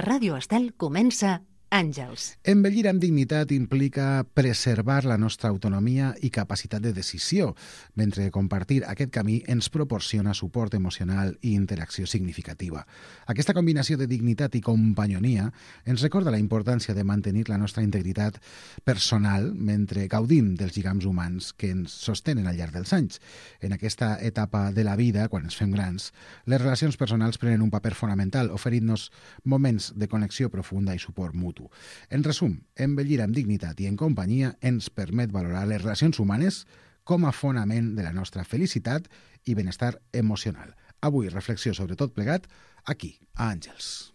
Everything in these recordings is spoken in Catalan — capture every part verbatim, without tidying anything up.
Ràdio Estel comença Àngels. Envellir amb dignitat implica preservar la nostra autonomia i capacitat de decisió, mentre compartir aquest camí ens proporciona suport emocional i interacció significativa. Aquesta combinació de dignitat i companyonia ens recorda la importància de mantenir la nostra integritat personal mentre gaudim dels lligams humans que ens sostenen al llarg dels anys. En aquesta etapa de la vida, quan ens fem grans, les relacions personals prenen un paper fonamental, oferint-nos moments de connexió profunda i suport mutu. En resum, envellir amb dignitat i en companyia ens permet valorar les relacions humanes com a fonament de la nostra felicitat i benestar emocional. Avui, reflexió sobre tot plegat, aquí, a Àngels.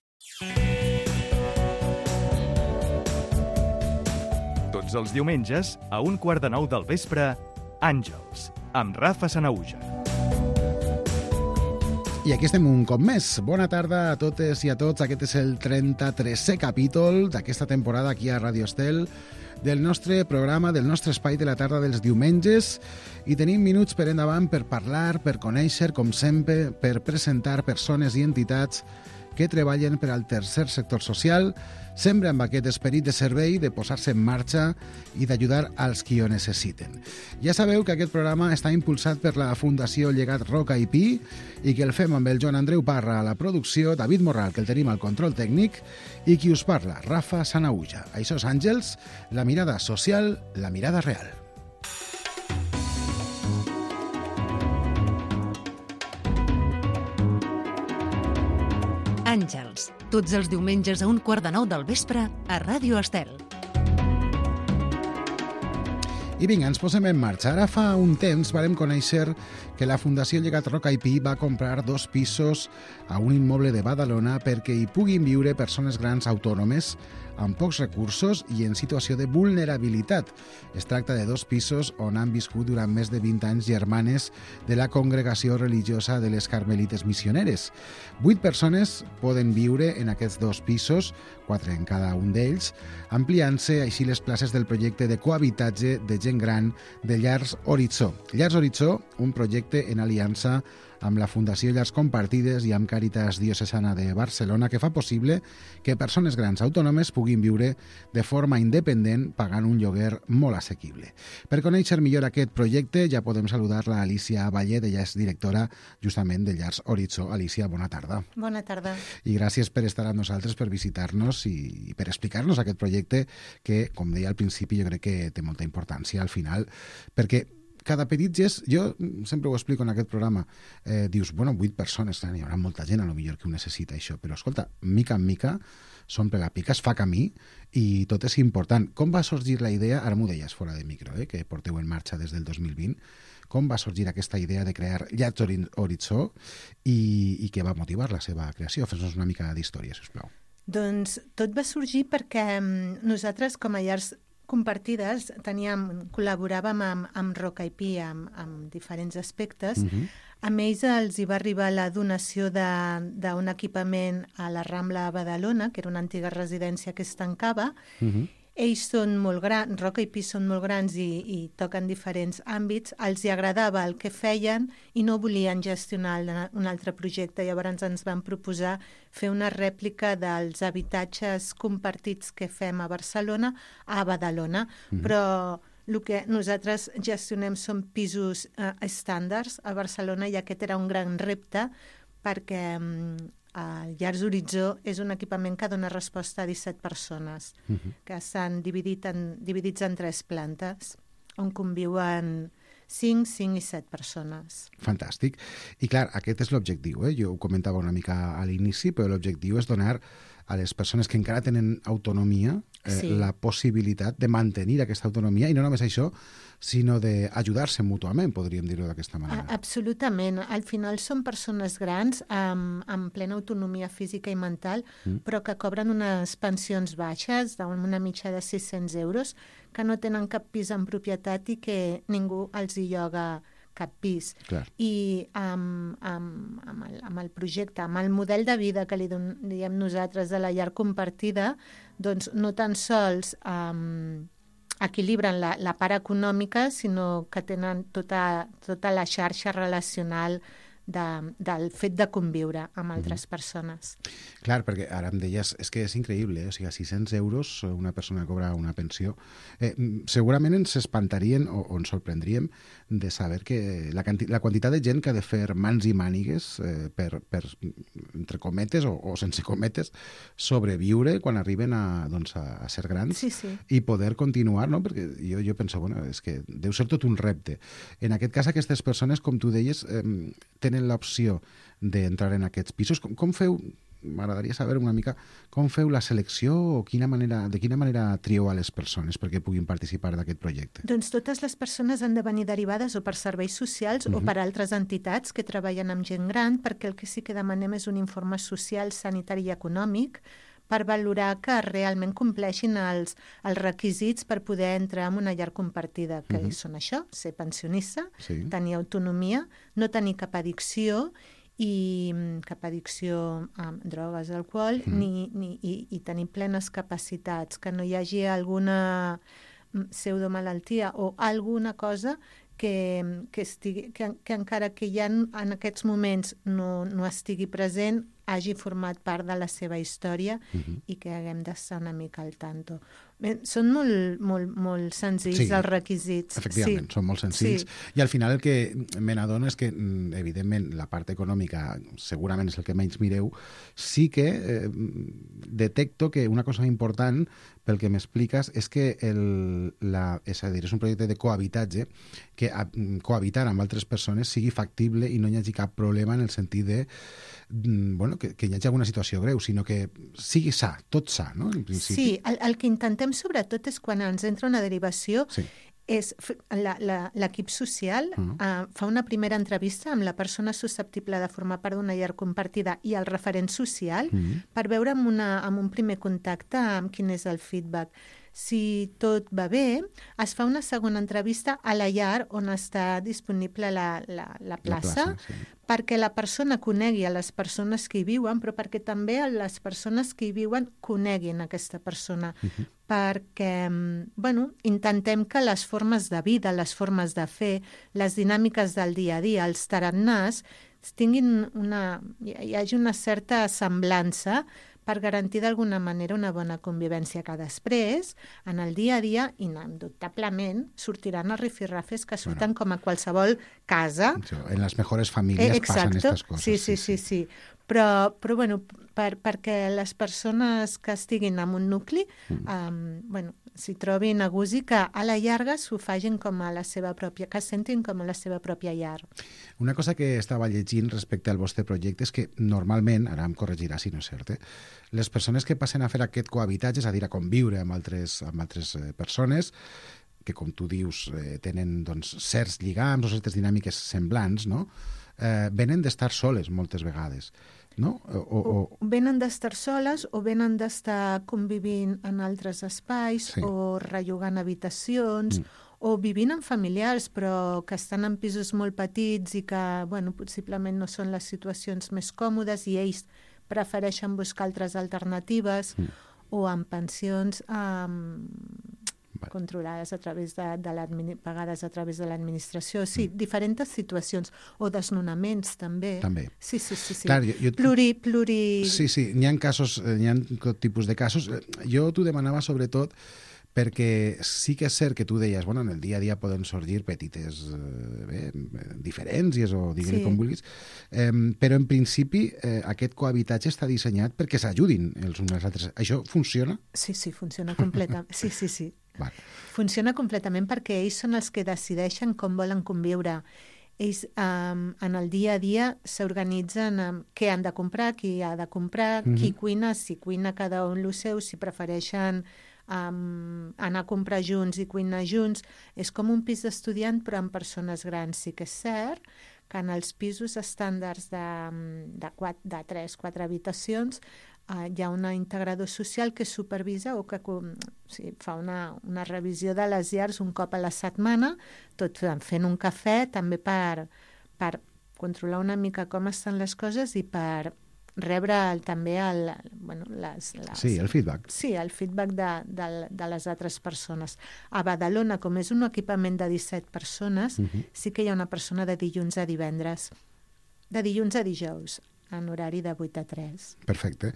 Tots els diumenges, a un quart de nou del vespre, Àngels, amb Rafa Sanahuja. I aquí estem un cop més. Bona tarda a totes i a tots. Aquest és el trenta-tresè capítol d'aquesta temporada aquí a Ràdio Estel, del nostre programa, del nostre espai de la tarda dels diumenges, i tenim minuts per endavant per parlar, per conèixer, com sempre, per presentar persones i entitats que treballen per al tercer sector social, sempre amb aquest esperit de servei, de posar-se en marxa i d'ajudar als qui ho necessiten. Ja sabeu que aquest programa està impulsat per la Fundació Llegat Roca i Pi i que el fem amb el Joan Andreu Parra a la producció, David Morral, que el tenim al control tècnic, i qui us parla, Rafa Sanahuja. Això és Àngels, la mirada social, la mirada real. Àngels, tots els diumenges a un quart de nou del vespre a Ràdio Estel. I vinga, ens posem en marxa. Ara fa un temps vàrem conèixer que la Fundació Llegat Roca i Pi va comprar dos pisos a un immoble de Badalona perquè hi puguin viure persones grans autònomes amb pocs recursos i en situació de vulnerabilitat. Es tracta de dos pisos on han viscut durant més de vint anys germanes de la congregació religiosa de les Carmelites Missioneres. Vuit persones poden viure en aquests dos pisos, quatre en cada un d'ells, ampliant-se així les places del projecte de cohabitatge de gent gran de Llars Horitzó. Llars Horitzó, un projecte en aliança amb la Fundació Llars Compartides i amb Càritas Diocesana de Barcelona, que fa possible que persones grans autònomes puguin viure de forma independent pagant un lloguer molt assequible. Per conèixer millor aquest projecte ja podem saludar la Alicia Vallet, ella és directora justament de Llars Horitzó. Alicia, bona tarda. Bona tarda. I gràcies per estar amb nosaltres, per visitar-nos i per explicar-nos aquest projecte que, com deia al principi, jo crec que té molta importància al final, perquè cada petit gest, jo sempre ho explico en aquest programa, eh, dius, bueno, vuit persones, hi haurà molta gent a lo millor que ho necessita això, però escolta, mica en mica s'omple la pica, es fa camí i tot és important. Com va sorgir la idea, ara m'ho deies fora de micro, eh, que porteu en marxa des del dos mil vint, com va sorgir aquesta idea de crear Llars Horitzó i, i què va motivar la seva creació? Fes-nos una mica d'història, sisplau. Doncs tot va sorgir perquè nosaltres, com a Llars Compartides, teníem, col·laboràvem amb, amb Roca i Pi amb, amb diferents aspectes. Uh-huh. Amb ells els hi va arribar la donació d'un equipament a la Rambla a Badalona, que era una antiga residència que es tancava. Uh-huh. Ells són molt grans, Roca i Pi són molt grans i, i toquen diferents àmbits. Els hi agradava el que feien i no volien gestionar un altre projecte. Llavors ens van proposar fer una rèplica dels habitatges compartits que fem a Barcelona a Badalona. Mm-hmm. Però el que nosaltres gestionem són pisos eh, estàndards a Barcelona i aquest era un gran repte perquè eh, el Llars Horitzó és un equipament que dona resposta a disset persones, uh-huh. que estan dividit en, dividits en tres plantes, on conviuen cinc, cinc i set persones. Fantàstic. I clar, aquest és l'objectiu, eh? Jo ho comentava una mica a l'inici, però l'objectiu és donar a les persones que encara tenen autonomia eh, sí. la possibilitat de mantenir aquesta autonomia, i no només això, sinó d'ajudar-se mútuament, podríem dir-ho d'aquesta manera. Absolutament. Al final són persones grans amb, amb plena autonomia física i mental, mm. però que cobren unes pensions baixes, d'una mitja de sis-cents euros, que no tenen cap pis en propietat i que ningú els hi lloga cap pis. Clar. I amb, amb, amb, el, amb el projecte, amb el model de vida que li don, diem nosaltres de la llar compartida, doncs no tan sols um, equilibren la, la part econòmica, sinó que tenen tota, tota la xarxa relacional de, del fet de conviure amb altres mm-hmm. persones. Clar, perquè ara em deies, és que és increïble, eh? O sigui, a sis-cents euros una persona cobra una pensió. Eh, segurament ens espantarien o, o ens sorprendríem de saber que la, la quantitat de gent que ha de fer mans i mànigues eh, per, per, entre cometes o, o sense cometes, sobreviure quan arriben a, doncs, a, a ser grans sí, sí. i poder continuar, no? Perquè jo, jo penso, bueno, és que deu ser tot un repte. En aquest cas, aquestes persones, com tu deies, eh, tenen l'opció d'entrar en aquests pisos. Com, com feu... M'agradaria saber una mica com feu la selecció o quina manera, de quina manera trieu a les persones perquè puguin participar d'aquest projecte. Doncs totes les persones han de venir derivades o per serveis socials uh-huh. o per altres entitats que treballen amb gent gran, perquè el que sí que demanem és un informe social, sanitari i econòmic per valorar que realment compleixin els, els requisits per poder entrar en una llar compartida, que uh-huh. són això, ser pensionista, sí. tenir autonomia, no tenir cap addicció i cap addicció a drogues, alcohol, mm. ni, ni, i, i tenir plenes capacitats, que no hi hagi alguna pseudomalaltia o alguna cosa que, que, estigui, que, que encara que ja en, en aquests moments no, no estigui present, hagi format part de la seva història uh-huh. i que haguem d'estar una mica al tanto. Bé, són molt, molt, molt senzills sí, els requisits. Efectivament, sí. són molt senzills. Sí. I al final el que me n'adono és que, evidentment, la part econòmica segurament és el que menys mireu. Sí que eh, detecto que una cosa important, pel que m'expliques, és que el, la, és a dir, és un projecte de cohabitatge, que a, cohabitar amb altres persones sigui factible i no hi hagi cap problema en el sentit de bueno, que, que hi hagi alguna situació greu, sinó que sigui sa, tot sa, no? En principi. Sí, el, el que intentem sobretot és quan ens entra una derivació, sí. és l'equip social uh-huh. uh, fa una primera entrevista amb la persona susceptible de formar part d'una llar compartida i el referent social uh-huh. per veure amb, una, amb un primer contacte amb quin és el feedback. Si tot va bé, es fa una segona entrevista a la llar on està disponible la, la, la plaça, la plaça sí. perquè la persona conegui a les persones que hi viuen, però perquè també les persones que hi viuen coneguin aquesta persona. Uh-huh. Perquè, bueno, intentem que les formes de vida, les formes de fer, les dinàmiques del dia a dia, els tarannàs, tinguin una, hi hagi una certa semblança per garantir d'alguna manera una bona convivència, que després, en el dia a dia, indubtablement, sortiran els rifirrafes que surten bueno. com a qualsevol casa. En les millors famílies eh, passen aquestes coses. Sí, sí, sí, sí. sí. Però, però bueno, per, perquè les persones que estiguin en un nucli mm. um, bueno, s'hi trobin a gust i que a la llarga s'ho facin com a la seva pròpia, que sentin com a la seva pròpia llar. Una cosa que estava llegint respecte al vostre projecte és que normalment, ara em corregirà si no és cert, eh, les persones que passen a fer aquest cohabitatge, és a dir, a conviure amb altres, amb altres eh, persones, que com tu dius eh, tenen doncs, certs lligams o certes dinàmiques semblants, no? eh, venen d'estar soles moltes vegades. No? O, o... o venen d'estar soles o venen d'estar convivint en altres espais sí. o rellogant habitacions mm. o vivint amb familiars però que estan en pisos molt petits i que bueno, possiblement no són les situacions més còmodes i ells prefereixen buscar altres alternatives mm. o en pensions um, vale. controlades a través de, de pagades a través de l'administració. Sí, mm. diferents situacions. O desnonaments, també. També. Sí, sí, sí. sí. Clar, jo, jo... Pluri, pluri... Sí, sí, n'hi ha casos, n'hi ha tot tipus de casos. Jo t'ho demanava sobretot perquè sí que és cert que tu deies, bueno, en el dia a dia poden sorgir petites eh, bé, diferències o digue-li sí. com vulguis, eh, però en principi eh, aquest cohabitatge està dissenyat perquè s'ajudin els uns als altres. Això funciona? Sí, sí, funciona completament. Sí, sí, sí. Vale. Funciona completament perquè ells són els que decideixen com volen conviure. Ells um, en el dia a dia s'organitzen um, què han de comprar, qui ha de comprar, mm-hmm. qui cuina, si cuina cada un el seu, si prefereixen um, anar a comprar junts i cuinar junts. És com un pis d'estudiant però amb persones grans. Sí que és cert que en els pisos estàndards de, de, quatre, de tres, quatre habitacions uh, hi ha un integrador social que supervisa o que o sigui, fa una, una revisió de les llars un cop a la setmana, tot fent un cafè també per, per controlar una mica com estan les coses i per rebre el, també el, bueno, les, les... Sí, el feedback. Sí, el feedback de, de, de les altres persones. A Badalona, com és un equipament de disset persones, uh-huh. sí que hi ha una persona de dilluns a divendres. de dilluns a dijous, en horari de vuit a tres. Perfecte.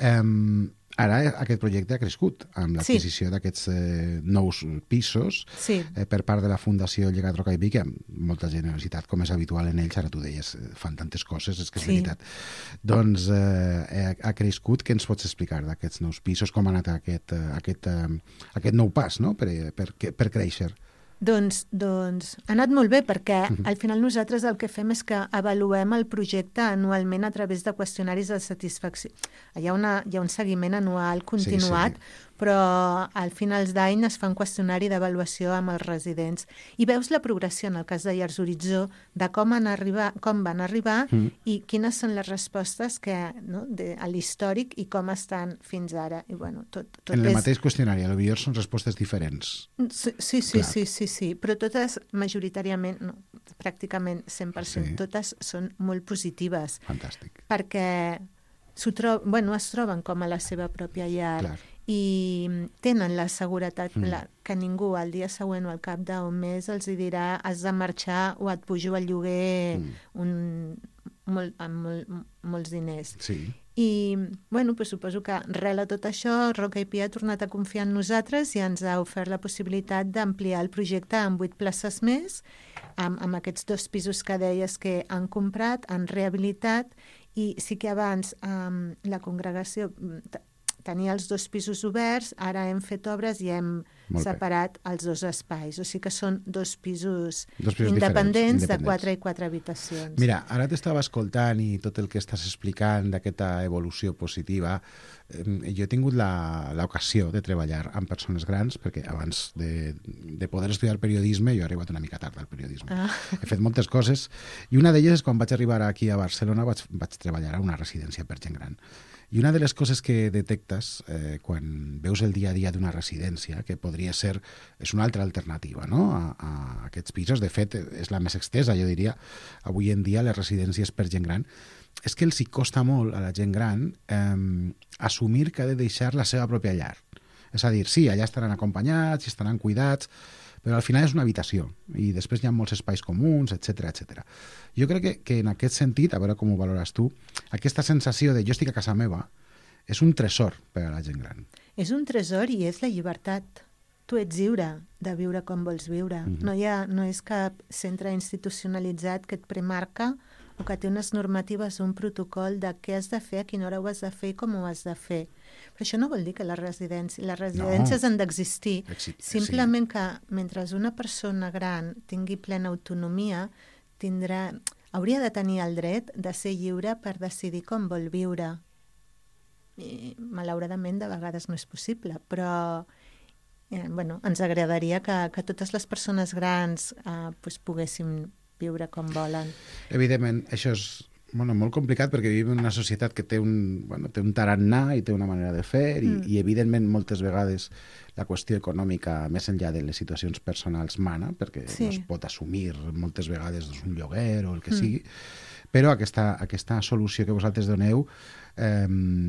Um, ara aquest projecte ha crescut amb l'adquisició sí. d'aquests eh, nous pisos sí. eh, per part de la Fundació Llegat Roca i Pi, que amb molta generositat, com és habitual en ells, ara tu deies, fan tantes coses, és que és sí. veritat. Doncs eh, ha crescut. Què ens pots explicar d'aquests nous pisos? Com ha anat aquest, aquest, aquest nou pas, no? per, per, per créixer? Doncs, doncs ha anat molt bé, perquè uh-huh. al final nosaltres el que fem és que avaluem el projecte anualment a través de qüestionaris de satisfacció. Hi ha, una, hi ha un seguiment anual continuat, sí, sí. però al finals d'any es fa un qüestionari d'avaluació amb els residents. I veus la progressió, en el cas de Llars Horitzó, de com, han arribar, com van arribar uh-huh. i quines són les respostes que, no, de, a l'històric i com estan fins ara. I, bueno, tot, tot en el és... mateix qüestionari, potser són respostes diferents. Sí, sí, sí, sí, sí, sí, però totes majoritàriament, no, pràcticament cent per cent, sí. totes són molt positives. Fantàstic. Perquè tro bueno, es troben com a la seva pròpia llar. Clar. I tenen la seguretat mm. la, que ningú al dia següent o al cap d'un mes els dirà has de marxar o et pujo el lloguer mm. un, molt, amb molt, molts diners. Sí. I, bueno, pues suposo que arrel a tot això, Roca i Pi ha tornat a confiar en nosaltres i ens ha ofert la possibilitat d'ampliar el projecte amb vuit places més, amb, amb aquests dos pisos que deies que han comprat, han rehabilitat, i sí que abans um, la congregació tenia els dos pisos oberts, ara hem fet obres i hem Molt separat bé. els dos espais. O sigui que són dos pisos, dos pisos independents, independents de quatre i quatre habitacions. Mira, ara t'estava escoltant i tot el que estàs explicant d'aquesta evolució positiva. Eh, jo he tingut l'ocasió de treballar amb persones grans, perquè abans de, de poder estudiar periodisme, jo he arribat una mica tard al periodisme. Ah. He fet moltes coses, i una d'elles és quan vaig arribar aquí a Barcelona, vaig, vaig treballar a una residència per gent gran. I una de les coses que detectes eh, quan veus el dia a dia d'una residència, que podria ser, és una altra alternativa, no?, a, a aquests pisos, de fet és la més extesa, jo diria, avui en dia les residències per gent gran, és que els hi costa molt a la gent gran eh, assumir que ha de deixar la seva pròpia llar. És a dir, sí, allà estaran acompanyats, estaran cuidats, però al final és una habitació i després hi ha molts espais comuns, etcètera, etcètera. Jo crec que, que en aquest sentit, a veure com ho valores tu, aquesta sensació de jo estic a casa meva és un tresor per a la gent gran. És un tresor i és la llibertat. Tu ets lliure de viure com vols viure. Mm-hmm. No, hi ha, no és cap centre institucionalitzat que et premarca o que té unes normatives o un protocol de què has de fer, a quina hora ho has de fer i com ho has de fer. Però això no vol dir que les residències, les residències no. han d'existir. Simplement sí. que mentre una persona gran tingui plena autonomia, tindrà, hauria de tenir el dret de ser lliure per decidir com vol viure. I, malauradament, de vegades no és possible, però eh, bueno, ens agradaria que, que totes les persones grans eh, pues, poguessin viure com volen. Evidentment, això és bueno, molt complicat perquè vivim en una societat que té un, bueno, té un tarannà i té una manera de fer i, mm. i evidentment moltes vegades la qüestió econòmica, més enllà de les situacions personals, mana, perquè sí. no es pot assumir moltes vegades doncs, un lloguer o el que mm. sigui, però aquesta, aquesta solució que vosaltres doneu, eh,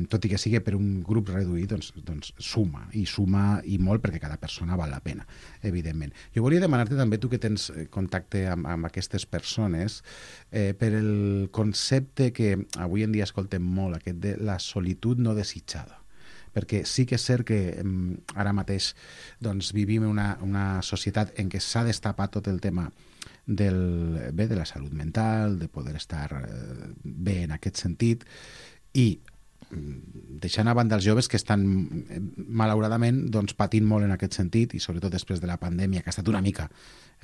tot i que sigui per un grup reduït, doncs, doncs suma, i suma i molt perquè cada persona val la pena, evidentment. Jo volia demanar-te també, tu que tens contacte amb, amb aquestes persones, eh, per el concepte que avui en dia escoltem molt, aquest de la solitud no desitjada. Perquè sí que és cert que eh, ara mateix doncs, vivim una, una societat en què s'ha destapat tot el tema del, bé, de la salut mental, de poder estar eh, bé en aquest sentit, i deixant a banda els joves que estan malauradament doncs, patint molt en aquest sentit, i sobretot després de la pandèmia, que ha estat una mica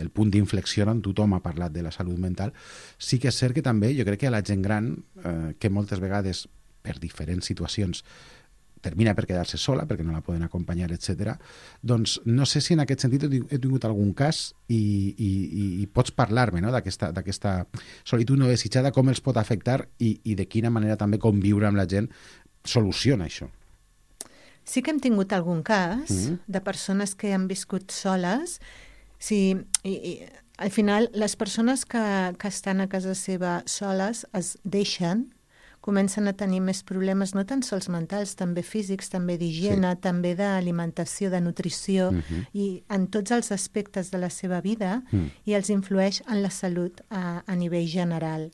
el punt d'inflexió on tothom ha parlat de la salut mental, sí que és cert que també jo crec que a la gent gran, eh, que moltes vegades per diferents situacions termina per quedar-se sola, perquè no la poden acompanyar, etcètera. Doncs no sé si en aquest sentit he tingut algun cas i, i, i pots parlar-me, no?, d'aquesta d'aquesta solitud no desitjada, com els pot afectar i, i de quina manera també conviure amb la gent soluciona això. Sí que hem tingut algun cas mm-hmm. de persones que han viscut soles. Sí, i, i, al final, les persones que, que estan a casa seva soles es deixen, comencen a tenir més problemes, no tan sols mentals, també físics, també d'higiene, sí. també d'alimentació, de nutrició, uh-huh. i en tots els aspectes de la seva vida, uh-huh. i els influeix en la salut a, a nivell general.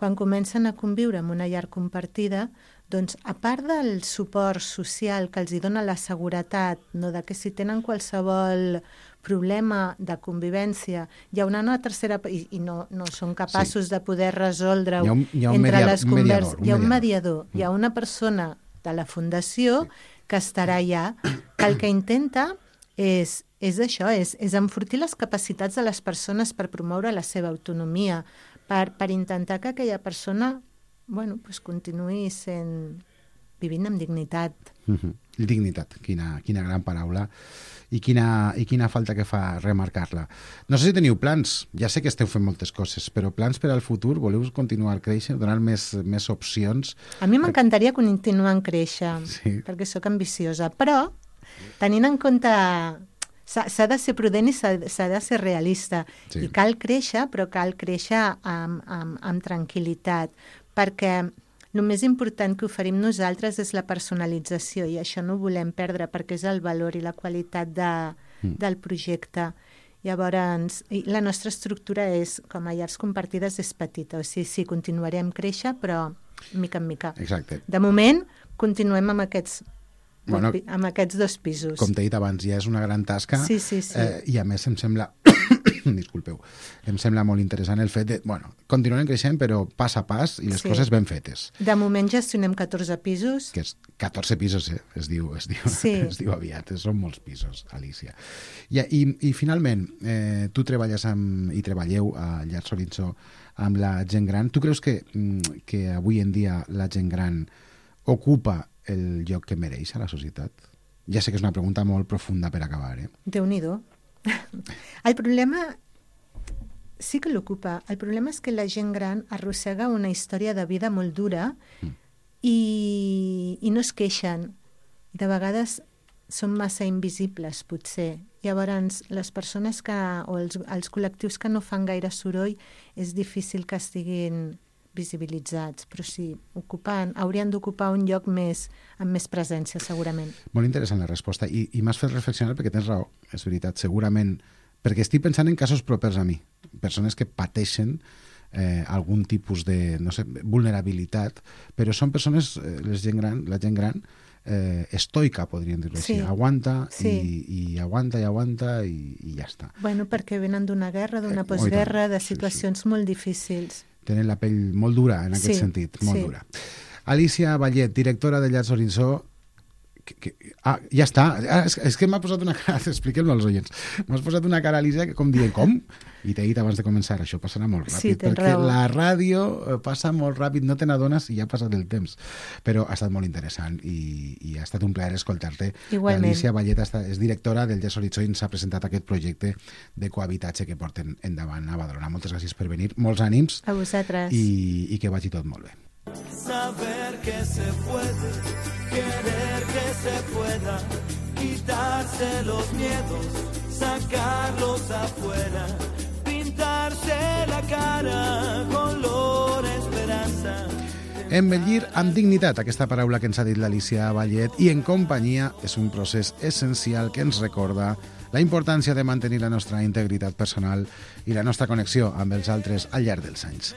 quan comencen a conviure en una llar compartida, doncs, a part del suport social que els hi dona la seguretat, no, de que si tenen qualsevol problema de convivència, hi ha una, una tercera... i, i no, no són capaços sí. de poder resoldre-ho entre mediador, les converses. Hi ha un mediador, hi ha una persona de la Fundació sí. que estarà allà, que el que intenta és, és això, és, és enfortir les capacitats de les persones per promoure la seva autonomia, per, per intentar que aquella persona bueno, pues continuï sent, vivint amb dignitat. Mm-hmm. Dignitat, quina, quina gran paraula i quina, i quina falta que fa remarcar-la. No sé si teniu plans, ja sé que esteu fent moltes coses, però plans per al futur? Voleu continuar creixent, donar més, més opcions? A mi m'encantaria continuar créixer, sí. perquè sóc ambiciosa, però tenint en compte... S'ha de ser prudent i s'ha de ser realista. Sí. I cal créixer, però cal créixer amb, amb, amb tranquil·litat, perquè el més important que oferim nosaltres és la personalització i això no ho volem perdre perquè és el valor i la qualitat de, mm. del projecte. Llavors, la nostra estructura és, com a llars compartides, és petita. O sigui, sí, continuarem créixer, però mica en mica. Exacte. De moment, continuem amb aquests... Bueno, amb aquests dos pisos. Com t'he dit abans, ja és una gran tasca sí, sí, sí. Eh, i a més em sembla disculpeu, em sembla molt interessant el fet de, bueno, continuem creixent però pas a pas i les sí. coses ben fetes. De moment gestionem catorze pisos. Que és catorze pisos, eh? Es diu, es diu, sí. es diu aviat, són molts pisos, Alicia. I, i, i finalment, eh, tu treballes amb, i treballeu a Llars Horitzó amb la gent gran. Tu creus que, que avui en dia la gent gran ocupa el lloc que mereix a la societat? Ja sé que és una pregunta molt profunda per acabar, eh? Déu-n'hi-do. El problema sí que l'ocupa. El problema és que la gent gran arrossega una història de vida molt dura mm. i, i no es queixen. De vegades són massa invisibles, potser. Llavors, les persones que, o els, els col·lectius que no fan gaire soroll és difícil que estiguin visibilitzats, però sí, ocupant, haurien d'ocupar un lloc més, amb més presència, segurament. Molt interessant la resposta, i, i m'has fet reflexionar perquè tens raó, és veritat, segurament, perquè estic pensant en casos propers a mi, persones que pateixen eh, algun tipus de, no sé, vulnerabilitat, però són persones, eh, les gent gran, la gent gran, eh, estoica, podríem dir-ho sí. així, aguanta, sí. i, i aguanta i aguanta i, i ja està. Bueno, perquè venen d'una guerra, d'una eh, postguerra, de situacions sí, sí. molt difícils. Tenen la pell molt dura en aquest sí, sentit, molt sí. dura. Alicia Vallet, directora de Llars Horitzó. Que, que, ah, ja està. Ah, és, és que m'ha posat una cara... Expliquem-lo als oients. M'has posat una cara, Alicia, que com dient, com? I t'he dit abans de començar, això passarà molt ràpid. Sí, tens perquè raó. la ràdio passa molt ràpid, no te n'adones i ja ha passat el temps. Però ha estat molt interessant i, i ha estat un plaer escoltar-te. Igualment. Alicia Vallet és directora del Llars Horitzó i ens ha presentat aquest projecte de cohabitatge que porten endavant a Badalona. Moltes gràcies per venir, molts ànims. A vosaltres. I, i que vagi tot molt bé. Saber que se puede, querer que se pueda, quitarse los miedos, sacarlos afuera, pintarse la cara, color esperanza. Envellir amb dignitat, aquesta paraula que ens ha dit l'Alicia Vallet, i en companyia és un procés essencial que ens recorda la importància de mantenir la nostra integritat personal i la nostra connexió amb els altres al llarg dels anys.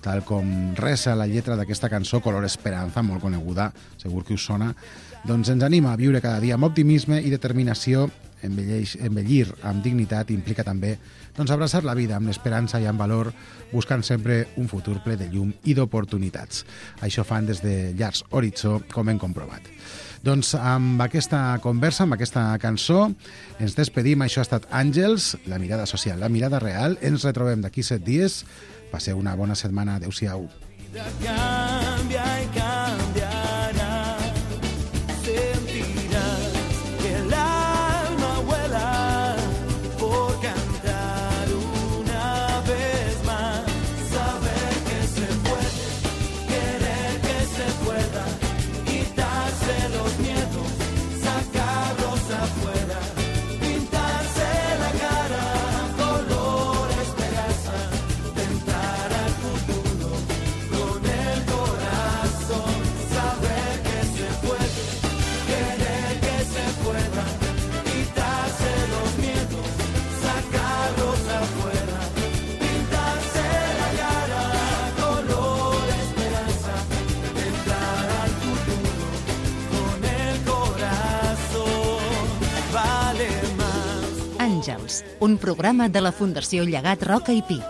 Tal com resa la lletra d'aquesta cançó, Color Esperanza, molt coneguda, segur que us sona, doncs ens anima a viure cada dia amb optimisme i determinació. Envelleix, envellir amb dignitat implica també doncs, abraçar la vida amb esperança i amb valor, buscant sempre un futur ple de llum i d'oportunitats. Això fan des de Llars Horitzó, com hem comprovat. Doncs amb aquesta conversa, amb aquesta cançó, ens despedim. Això ha estat Àngels, la mirada social, la mirada real. Ens retrobem d'aquí set dies. Passeu una bona setmana. Adéu-siau. Cambia y cambiará, sentirás que el alma vuela por cantar una vez más, saber que se puede, querer que se pueda, quitarse los miedos, sacarlos afuera, pintarse la cara, color esperanza, tentar al futuro con el corazón. Àngels, un programa de la Fundació Llegat Roca i Pi.